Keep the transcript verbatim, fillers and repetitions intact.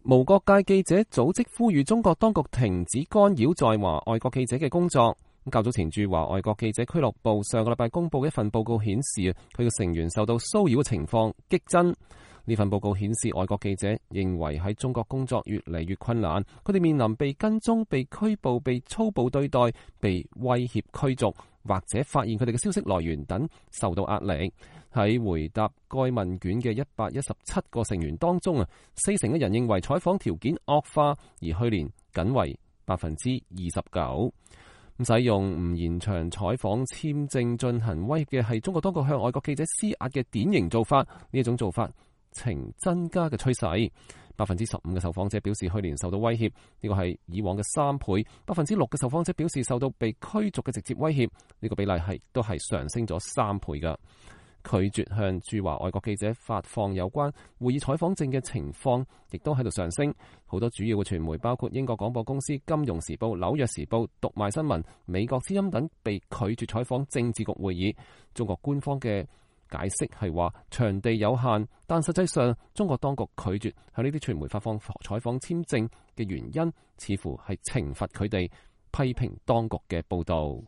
無國界記者組織呼籲中國當局停止干擾在華外國記者嘅工作。較早前駐華外國記者俱樂部上個禮拜公布嘅一份報告顯示，佢嘅成員受到騷擾嘅情況激增。呢份報告顯示，外國記者認為喺中國工作越嚟越困難，佢哋面臨被跟蹤、被拘捕、被粗暴對待、被威脅驅逐，或者發現佢哋嘅消息來源等受到壓力。喺回答該問卷嘅一百一十七個成員當中啊，四成嘅人認為採訪條件惡化，而去年僅為百分之二十九。使用唔延長採訪簽證進行威脅嘅係中國當局向外國記者施壓嘅典型做法。呢一種做法呈增加嘅趨勢。百分之十五嘅受訪者表示去年受到威脅，呢個係以往嘅三倍。百分之六嘅受訪者表示受到被驅逐嘅直接威脅，呢個比例係都係上升咗三倍噶。拒絕向駐華外國記者發放有關會議採訪證嘅情況，亦都喺度上升。好多主要嘅傳媒，包括英國廣播公司、金融時報、紐約時報、讀賣新聞、美國之音等，被拒絕採訪政治局會議。中國官方嘅解釋係話場地有限，但實際上中國當局拒絕向呢啲傳媒發放採訪簽證嘅原因，似乎係懲罰佢哋批評當局嘅報導。